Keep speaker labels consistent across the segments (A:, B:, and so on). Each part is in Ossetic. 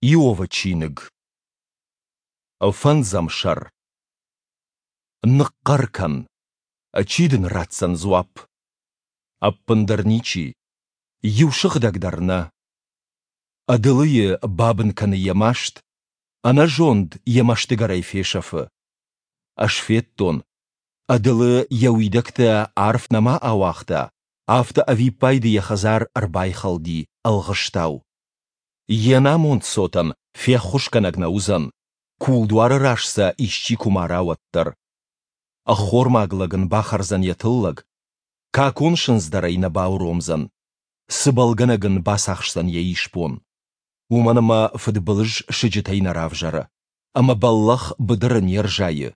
A: Иовы чиныг. Фӕндзӕм сӕр. Ныхъхъӕр кӕн. Чи дын ратдзӕн дзуапп? Ӕппындӕр ничи. Иу сыгъдӕг дӕр нӕ. Ӕдылыйы бабын кӕны йӕ маст, ӕнӕзонд йӕ мӕстыгӕрӕй фесӕфы. Ӕз федтон, ӕдылы йӕ уидӕгтӕ арф нӕма ауагъта, афтӕ ӕвиппайды йӕ хӕдзар ӕрбайхӕлди ӕлгъыстау. Йе намонд цотӕн феххуысгӕнӕг нӕ уыдзӕн, кулдуары раз сӕ исчи куы мара, уӕддӕр. Ӕххормаг лӕг ын бахӕрдзӕн йӕ тыллӕг, какон сындз дӕр ӕй нӕ бауромдзӕн, цыбӕлгӕнӕг ын бацахсдзӕн йӕ исбон. Уымӕн ӕмӕ фыдбылыз сыджытӕй нӕ равзӕры, ӕмӕ бӕллӕх быдыры не рзайы.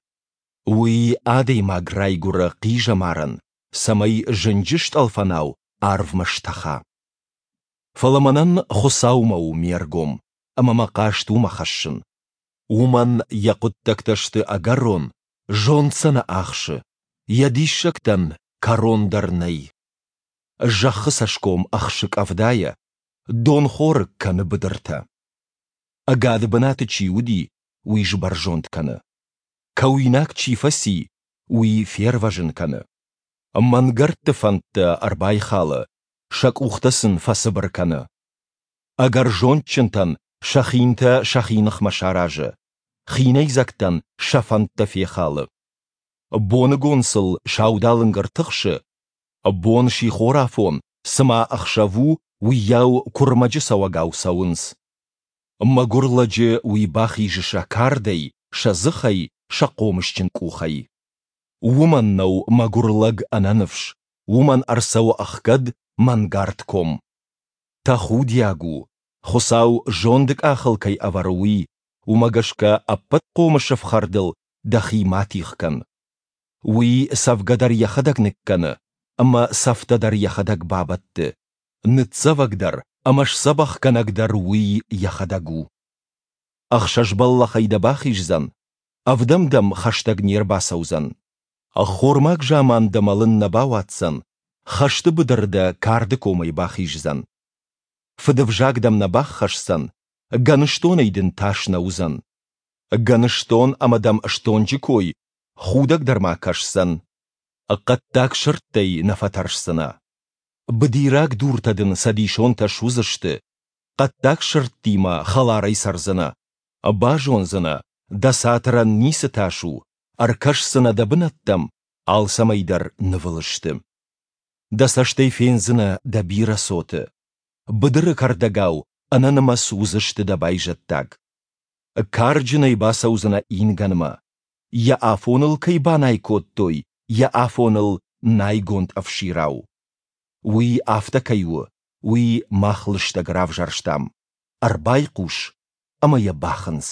A: Уый адӕймаг райгуыры хъизӕмарӕн, цӕмӕй зынджы стъӕлфӕнау арвмӕ стӕха. Фӕлӕ мӕнӕн Хуыцаумӕ у ме ргом, ӕмӕ мӕ хъаст уымӕ хӕссын. Уымӕн йӕ хъуыддӕгтӕ сты ӕгӕрон, зонд сӕ нӕ ахсы, йӕ диссӕгтӕн кӕрон дӕр нӕй. Зӕххы цӕсгом ӕхсы къӕвдайӕ, донхорыг кӕны быдыртӕ. Ӕгады бынаты чи уыди, уый сбӕрзонд кӕны. Кӕуинаг чи фӕци, уый фервӕзын кӕны. Мӕнгӕрдты фӕндтӕ ӕрбайхалы, сӕ къухтӕ сын фӕцыбыр кӕны. Ӕгӕр зондджынтӕн сӕ хинтӕ сӕхи ныхмӕ саразы, хинӕйдзӕгтӕн сӕ фӕндтӕ фехалы. Боныгон сыл саудалынг ӕртыхсы, бон сихорафон, цыма ӕхсӕв у, уыйау куырмӕджы цӕуӕгау цӕуынц. Мӕгуыр лӕджы уый бахизы сӕ кардӕй, сӕ дзыхӕй, сӕ хъомысджын къухӕй. Уымӕн нӕу мӕгуыр лӕг ӕнӕныфс, уымӕн ӕрцӕуы ӕхгӕд мӕнгард ком. Тӕхудиаг у, Хуыцау зонды къахыл кӕй ӕвӕры, уый, уымӕ гӕсгӕ ӕппӕт хъомысы фхӕрдыл дӕхи ма тигъ кӕн. Уый цӕвгӕ дӕр йӕхӕдӕг ныккӕны ӕмӕ цӕфтӕ дӕр йӕхӕдӕг бабӕтты, ныццӕвӕг дӕр ӕмӕ сдзӕбӕхгӕнӕг дӕр уый йӕхӕдӕг у. Ӕхсӕз бӕллӕхӕй дӕ бахиздзӕн, ӕвдӕм дӕм хӕстӕг не рбацӕудзӕн. Ӕххормаг заман дӕ мӕлын нӕ бауадздзӕн, хӕсты быдыры дӕ карды комӕй бахиздзӕн. Фыдывзаг дӕм нӕ баххӕсдзӕн, гӕныстонӕй дын тас нӕ уыдзӕн. Гӕныстон ӕмӕ дӕм стонджы кой худӕг дӕр ма кӕсдзӕн. Хъӕддаг сырдтӕй нӕ фӕтӕрсдзынӕ. Быдираг дуртӕ дын цӕдисонтӕ суыдзысты, хъӕддаг сырдтимӕ хӕларӕй цӕрдзынӕ. Базондзынӕ, дӕ цатырӕн ницы тас у, ӕркӕсдзынӕ дӕ бынӕттӕм, алцӕмӕй дӕр нывыл сты. Дӕ цӕстӕй фендзынӕ дӕ бирӕ цоты. Быдыры кӕрдӕгау ӕнӕнымӕц уыдзысты дӕ байзӕддаг. Карджынӕй бацӕудзынӕ ингӕнмӕ. Йӕ афоныл кӕй банай кодтой, йӕ афоныл найгонд ӕфсирау. Уый афтӕ кӕй у, уый мах лыстӕг равзӕрстам. Ӕрбайхъус ӕмӕ йӕ бахынц.